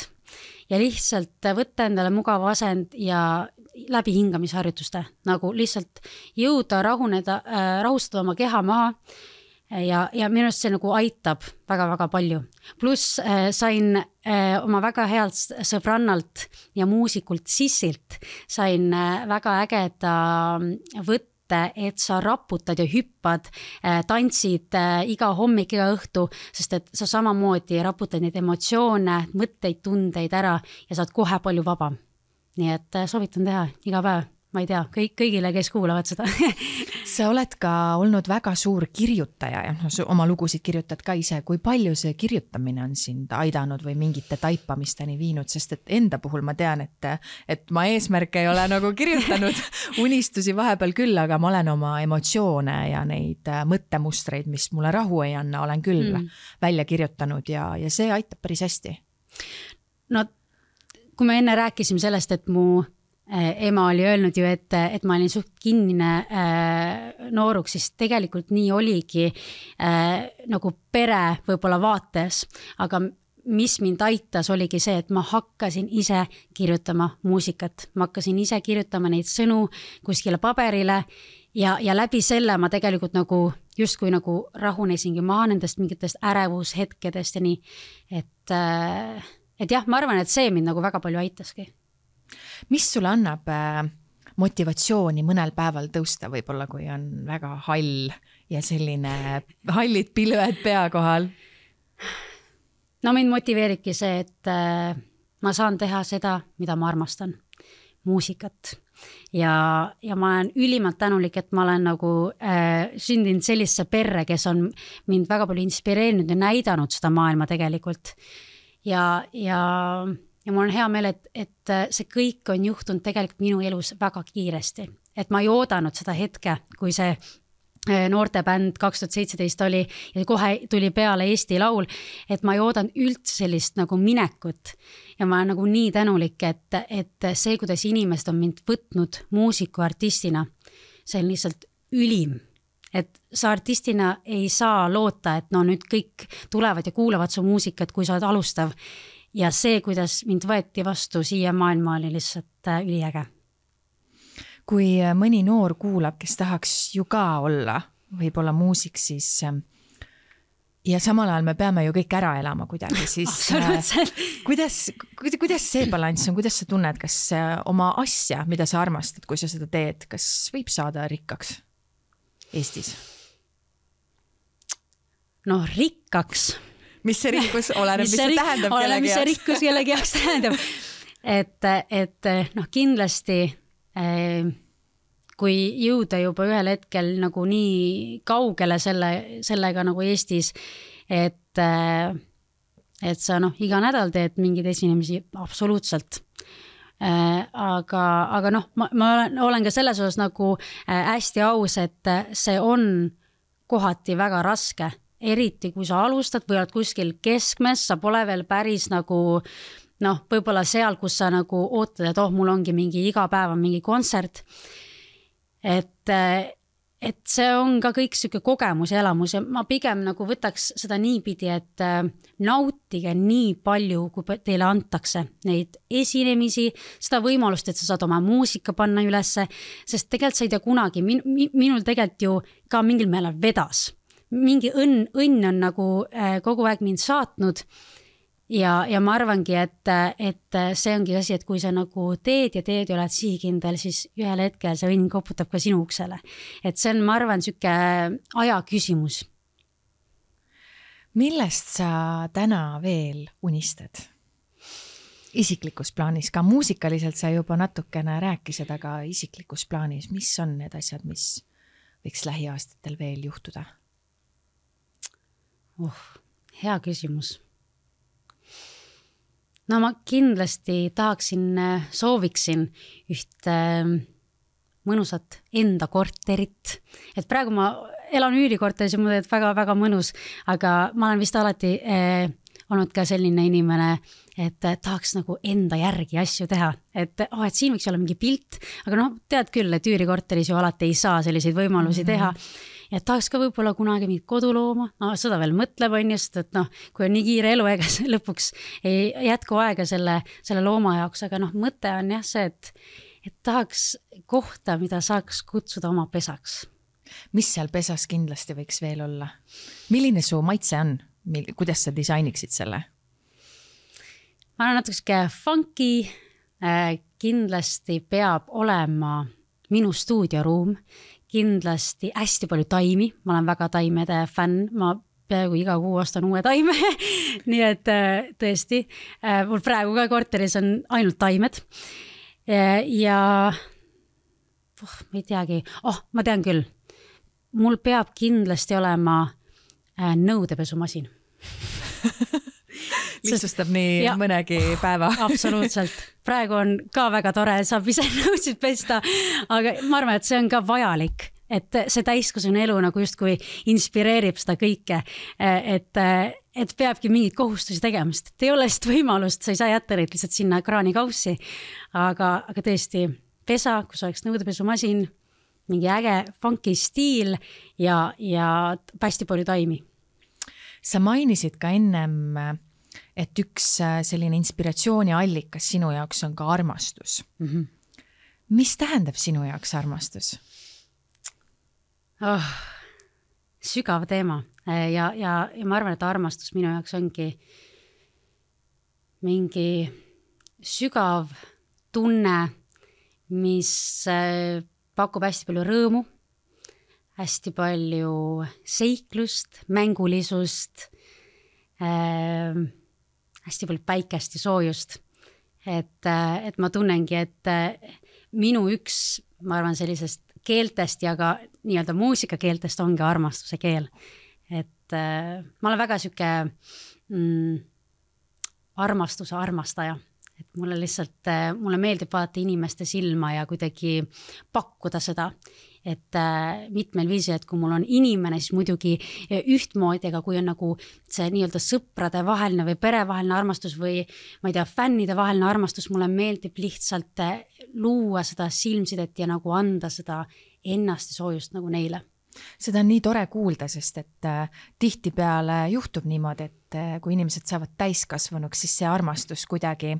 ja lihtsalt võtta endale mugav asend ja läbi hingamisharjutuste, nagu lihtsalt jõuda rahustada oma keha maha. Ja minu arust see nagu aitab väga-väga palju. Pluss sain oma väga healt sõbrannalt ja muusikult Sissilt sain väga ägeda võtte, et sa raputad ja hüppad, tantsid iga hommik, iga õhtu, sest et sa samamoodi raputad neid emotsioone, mõtteid, tundeid ära ja saad kohe palju vabam. Nii et soovitan teha iga päev. Ma ei tea, kõigile, kes kuulavad seda. Sa oled ka olnud väga suur kirjutaja ja oma lugusid kirjutad ka ise. Kui palju see kirjutamine on sind aidanud või mingite taipamisteni viinud, sest et enda puhul ma tean, et ma eesmärke ei ole nagu kirjutanud unistusi vahepeal küll, aga ma olen oma emotsioone ja neid mõttemustreid, mis mulle rahu ei anna, olen küll välja kirjutanud ja see aitab päris hästi. No, kui me enne rääkisime sellest, et mu ema oli öelnud ju, et ma olin suht kinnine nooruks, siis tegelikult nii oligi nagu pere võib-olla vaates, aga mis mind aitas oligi see, et ma hakkasin ise kirjutama muusikat, ma hakkasin ise kirjutama neid sõnu kuskile paberile ja läbi selle ma tegelikult nagu justkui nagu rahunesingi maha nendest mingitest ärevushetkedest ja nii, et jah, ma arvan, et see mind nagu väga palju aitaski. Mis sulle annab motivatsiooni mõnel päeval tõusta võib-olla, kui on väga hall ja selline hallid pilved pea kohal? no mind motiveeribki see, et ma saan teha seda, mida ma armastan, muusikat. Ja ma olen ülimalt tänulik, et ma olen nagu sündinud sellisse perre, kes on mind väga palju inspireerinud ja näidanud seda maailma tegelikult. Ja mul on hea meel, et see kõik on juhtunud tegelikult minu elus väga kiiresti. Et ma ei oodanud seda hetke, kui see noortebänd 2017 oli ja kohe tuli peale Eesti Laul, et ma ei oodanud üldse sellist nagu minekut ja ma olen nagu nii tänulik, et see, kuidas inimesed on mind võtnud muusiku artistina, see on lihtsalt ülim, et sa artistina ei saa loota, et no nüüd kõik tulevad ja kuulavad su muusikat, kui sa oled alustav ja see, kuidas mind võeti vastu siia maailma, oli lihtsalt üliäge. Kui mõni noor kuulab, kes tahaks ju ka olla, võib-olla muusik, siis ja samal ajal me peame ju kõik ära elama kuidagi, siis kuidas see balanss on, kuidas sa tunned, kas oma asja, mida sa armastad, kui sa seda teed, kas võib saada rikkaks Eestis? No rikkaks. Mis see rikkus oleneb, mis see tähendab kellegi jaoks? Mis see rikkus kellegi jaoks tähendab. Et kindlasti kui jõuda juba ühel hetkel nagu nii kaugele sellega nagu Eestis, et sa iga nädal teed mingeid esinemisi absoluutselt. Aga ma olen ka selles osas nagu hästi aus, et see on kohati väga raske, eriti kui sa alustad või oled kuskil keskmes, sa pole veel päris nagu võib-olla seal, kus sa nagu ootad, et mul ongi mingi iga päev on mingi kontsert. Et see on ka kõik siuke kogemus ja elamus ja ma pigem nagu võtaks seda niipidi, et nautige nii palju, kui teile antakse neid esinemisi, seda võimalust, et sa saad oma muusika panna ülesse, sest tegelikult sa ei tea kunagi, minul tegelikult ju ka mingil meelel vedas. Mingi õnn on nagu kogu aeg mind saatnud ja ma arvangi, et see ongi asi, et kui sa nagu teed ja oled sihikindel, siis ühel hetkel see õnn koputab ka sinu uksele. Et see on, ma arvan, siuke aja küsimus. Millest sa täna veel unistad? Isiklikus plaanis, ka muusikaliselt sa juba natukene rääkisid, aga isiklikus plaanis, mis on need asjad, mis võiks lähiaastatel veel juhtuda? Hea küsimus. No ma kindlasti sooviksin üht mõnusat enda korterit. Et praegu ma elan üürikorteris ja mul on väga-väga mõnus, aga ma olen vist alati olnud ka selline inimene, et tahaks nagu enda järgi asju teha. Et siin võiks olla mingi pilt, aga tead küll, et üürikorteris ju alati ei saa selliseid võimalusi teha. Ja tahaks ka võib-olla kunagi mingit kodulooma, seda veel mõtleb on just, et kui on nii kiire elu, ega lõpuks ei jätku aega selle looma jaoks, aga mõte on jah see, et tahaks kohta, mida saaks kutsuda oma pesaks. Mis seal pesas kindlasti võiks veel olla? Milline su maitse on? Kuidas sa disainiksid selle? Ma olen natuke funky, kindlasti peab olema minu stuudioruum, kindlasti hästi palju taimi, ma olen väga taimede fänn, ma peaaegu iga kuu ostan uue taime, nii et tõesti, mul praegu ka korteris on ainult taimed ja ma ei teagi, ma tean küll, mul peab kindlasti olema nõudepesumasin. Lihtsustab nii mõnegi päeva. Absoluutselt. Praegu on ka väga tore, saab ise nõusid pesta, aga ma arvan, et see on ka vajalik, et see täiskasvanu elu nagu justkui inspireerib seda kõike, et peabki mingid kohustusi tegemast, et ei ole lihtsalt võimalust, sa ei saa jätta neid lihtsalt sinna kraanikaussi, aga tõesti pesa, kus oleks nõudepesumasin, mingi äge funky stiil ja hästi palju taimi. Sa mainisid ka ennem, et üks selline inspiratsiooni allikas sinu jaoks on ka armastus. Mis tähendab sinu jaoks armastus? Sügav teema ja ma arvan, et armastus minu jaoks ongi mingi sügav tunne, mis pakub hästi palju rõõmu, hästi palju seiklust, mängulisust, hästi palju päikest ja soojust. Et ma tunnengi, et minu üks, ma arvan, sellisest keeltest ja ka nii-öelda muusikakeeltest ongi armastuse keel. Et ma olen väga süke armastuse armastaja. Et mulle meeldib vaadata inimeste silma ja kuidagi pakkuda seda, et mitmel viisil, et kui mul on inimene, siis muidugi ühtmoodi, aga kui on nagu see nii-öelda sõprade vaheline või perevaheline armastus või ma ei tea, fännide vaheline armastus, mulle meeldib lihtsalt luua seda silmsidet ja nagu anda seda ennast ja soojust nagu neile. Seda on nii tore kuulda, sest et tihtipeale juhtub niimoodi, et kui inimesed saavad täiskasvanuks, siis see armastus kuidagi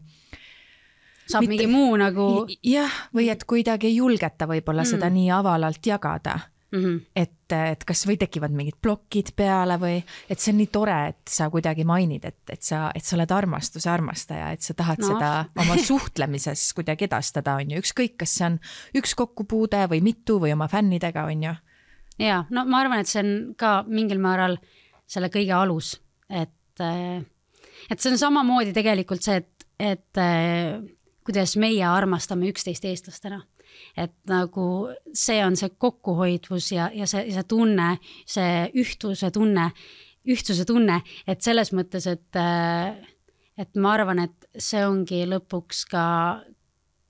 saab mingi muu nagu... Jah, või et kuidagi ei julgeta võib-olla seda nii avalalt jagada. Et kas või tekivad mingid plokid peale või et see on nii tore, et sa kuidagi mainid, et sa oled armastuse armastaja, et sa tahad seda oma suhtlemises kuidagi edastada, on ju. Ükskõik, kas see on üks kokkupuude või mitu või oma fännidega, on ju. Ja, no ma arvan, et see on ka mingil määral selle kõige alus, et see on samamoodi tegelikult see, et kuidas meie armastame üksteist eestlastena. Et nagu see on see kokkuhoidvus ja see tunne, see ühtsuse tunne, et selles mõttes, et ma arvan, et see ongi lõpuks ka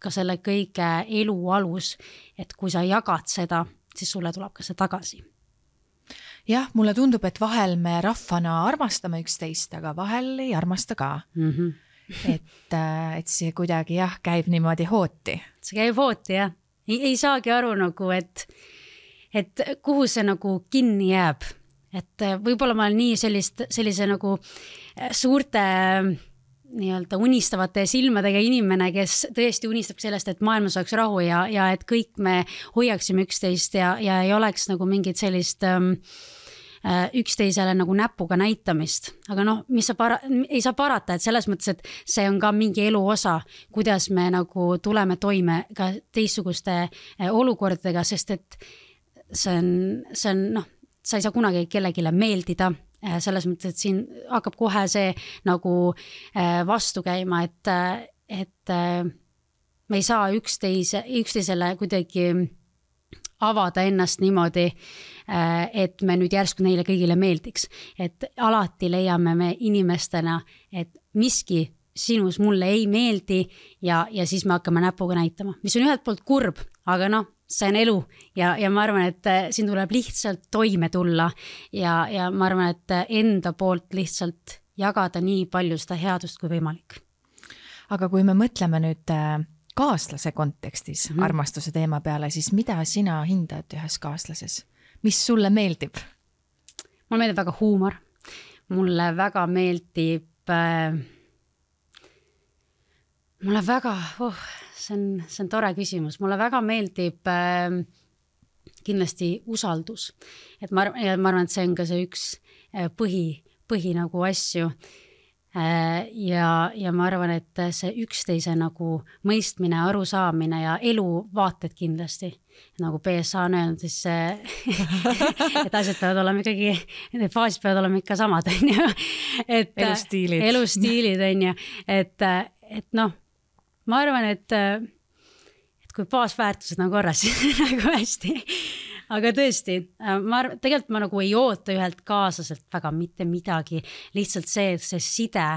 selle kõige elu alus, et kui sa jagad seda, siis sulle tuleb ka see tagasi. Jah, mulle tundub, et vahel me rahvana armastame üksteist, aga vahel ei armasta ka. Et see kuidagi käib niimoodi hooti. See käib hooti, jah. Ei saagi aru nagu, et kuhu see nagu kinni jääb. Et võib-olla ma olen nii sellise nagu suurte nii-öelda unistavate silmadega inimene, kes tõesti unistab sellest, et maailmas oleks rahu ja et kõik me hoiaksime üksteist ja ei oleks nagu mingit sellist üksteisele nagu näpuga näitamist. Aga ei saa parata, et selles mõttes, et see on ka mingi elu osa, kuidas me nagu tuleme toime ka teistsuguste olukordadega, sest et see on sa ei saa kunagi kellegile meeldida, selles mõttes, et siin hakkab kohe see nagu vastu käima, et me ei saa üksteisele kuidagi avada ennast niimoodi, et me nüüd järsku neile kõigile meeldiks. Et alati leiame me inimestena, et miski sinus mulle ei meeldi ja siis me hakkame näpuga näitama. Mis on ühelt poolt kurb, aga see on elu ja ma arvan, et siin tuleb lihtsalt toime tulla ja ma arvan, et enda poolt lihtsalt jagada nii palju seda headust kui võimalik. Aga kui me mõtleme nüüd kaaslase kontekstis armastuse teema peale, siis mida sina hindad ühes kaaslases? Mis sulle meeldib? Mulle meeldib väga huumor. Mulle väga meeldib see on tore küsimus. Mulle väga meeldib kindlasti usaldus. Et ma arvan, et see on ka see üks põhi nagu asju. Ja ma arvan, et see üksteise nagu mõistmine, arusaamine ja eluvaated kindlasti. Nagu PSA on öelnud, siis et asjad peavad olema ikkagi, need faasid peavad olema ikka samad. Elustiilid on ju. Et ma arvan, et kui baasväärtused on korras, nagu hästi. Aga tõesti, tegelikult ma nagu ei oota ühelt kaaslaselt väga mitte midagi. Lihtsalt see, et see side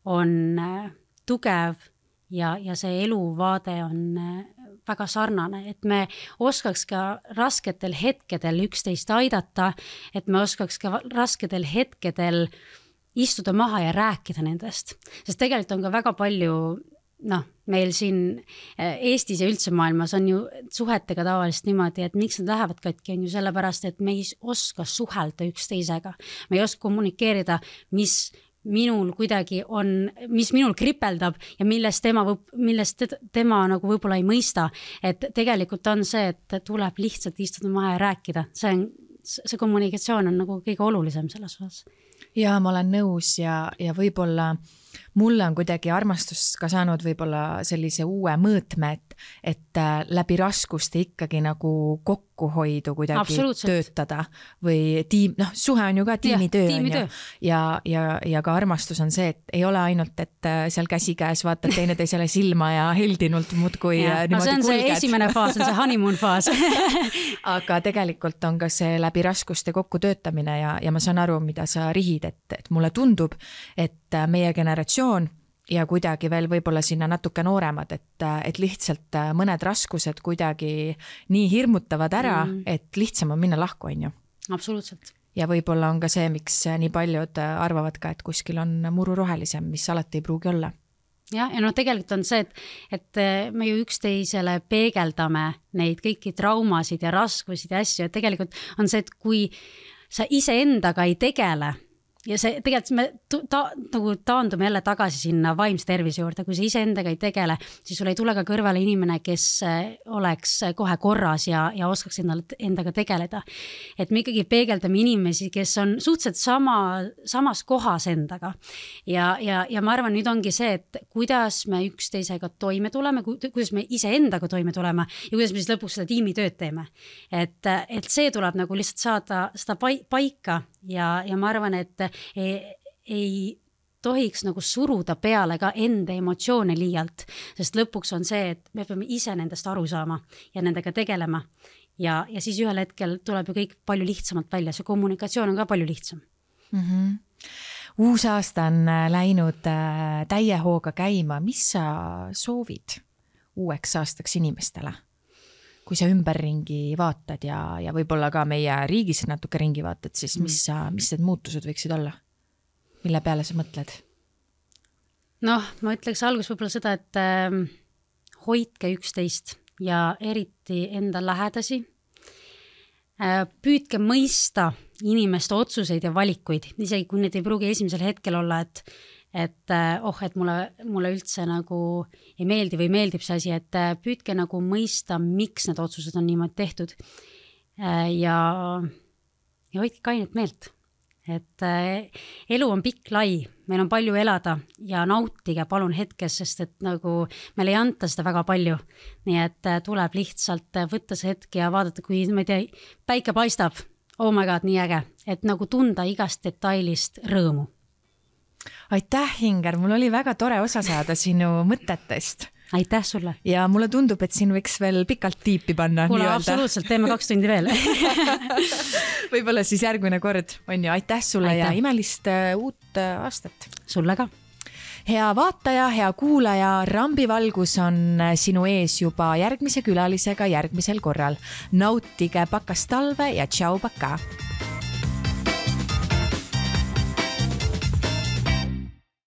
on tugev ja see eluvaade on väga sarnane. Et me oskaks ka rasketel hetkedel üksteist aidata, et me oskaks ka rasketel hetkedel istuda maha ja rääkida nendest. Sest tegelikult on ka väga palju meil siin Eestis ja üldse maailmas on ju suhetega tavaliselt niimoodi, et miks nad lähevad katki, on ju sellepärast, et me ei oska suhelda üksteisega. Me ei oska kommunikeerida, mis minul kuidagi on, mis minul kripeldab ja millest tema nagu võib-olla ei mõista. Et tegelikult on see, et tuleb lihtsalt istuda maha ja rääkida. See kommunikatsioon on nagu kõige olulisem selles osas. Ja ma olen nõus ja võib-olla Mulle on kuidagi armastus ka saanud võib-olla sellise uue mõõtme, et läbi raskuste ikkagi nagu kokkuhoidu kuidagi töötada või suhe on ju ka tiimitöö on ju. Ja ka armastus on see, et ei ole ainult, et seal käsikäes vaatad teineteisele silma ja heldinult muudkui niimoodi see on kulged. See esimene faas, on see honeymoon faas. Aga tegelikult on ka see läbi raskuste kokku töötamine ja ma saan aru, mida sa rihid, et mulle tundub, et meie generatsioon ja kuidagi veel võib-olla sinna natuke nooremad, et lihtsalt mõned raskused kuidagi nii hirmutavad ära, et lihtsam on minna lahku, on ju. Absoluutselt. Ja võib-olla on ka see, miks nii paljud arvavad ka, et kuskil on muru rohelisem, mis alati ei pruugi olla. Ja tegelikult on see, et me ju üksteisele peegeldame neid kõiki traumasid ja raskusid ja asju, et tegelikult on see, et kui sa iseendaga ei tegele, ja see tegelikult me nagu taandume jälle tagasi sinna vaimse tervise juurde, kui sa iseendaga ei tegele, siis sul ei tule ka kõrvale inimene, kes oleks kohe korras ja oskaks endaga tegeleda. Et me ikkagi peegeldame inimesi, kes on suhteliselt samas kohas endaga. Ja ma arvan, nüüd ongi see, et kuidas me üksteisega toime tuleme, kuidas me iseendaga toime tuleme ja kuidas me siis lõpuks seda tiimitööd teeme. Et see tuleb nagu lihtsalt saada seda paika ja ma arvan, et ei tohiks nagu suruda peale ka enda emotsioone liialt, sest lõpuks on see, et me peame ise nendest aru saama ja nendega tegelema ja siis ühel hetkel tuleb ju kõik palju lihtsamalt välja, see kommunikatsioon on ka palju lihtsam. Uus aasta on läinud täie hooga käima, mis sa soovid uueks aastaks inimestele? Kui sa ümberringi vaatad ja võib-olla ka meie riigis natuke ringi vaatad, siis mis need muutused võiksid olla? Mille peale sa mõtled? Ma ütleks algus võib-olla seda, et hoidke üksteist ja eriti enda lähedasi. Püüdke mõista inimeste otsuseid ja valikuid, isegi kui need ei pruugi esimesel hetkel olla, et mulle üldse nagu ei meeldi või meeldib see asi, et püüdke nagu mõista, miks need otsused on niimoodi tehtud ja hoidke kainet meelt, et elu on pikk lai, meil on palju elada ja nautige palun hetkes, sest et nagu meil ei anta seda väga palju, nii et tuleb lihtsalt võtta see hetk ja vaadata, kui ma ei tea, päike paistab, oh my god, nii äge, et nagu tunda igast detailist rõõmu. Aitäh, Inger, mul oli väga tore osa saada sinu mõtetest. Aitäh sulle. Ja mulle tundub, et siin võiks veel pikalt tiipi panna. Kuule, absoluutselt, teeme 2 tundi veel. Võib-olla siis järgmine kord on ju. Aitäh sulle ja imelist uut aastat. Sulle ka. Hea vaataja, hea kuulaja, Rambivalgus on sinu ees juba järgmise külalisega järgmisel korral. Nautige pakast talve ja tšau, paka!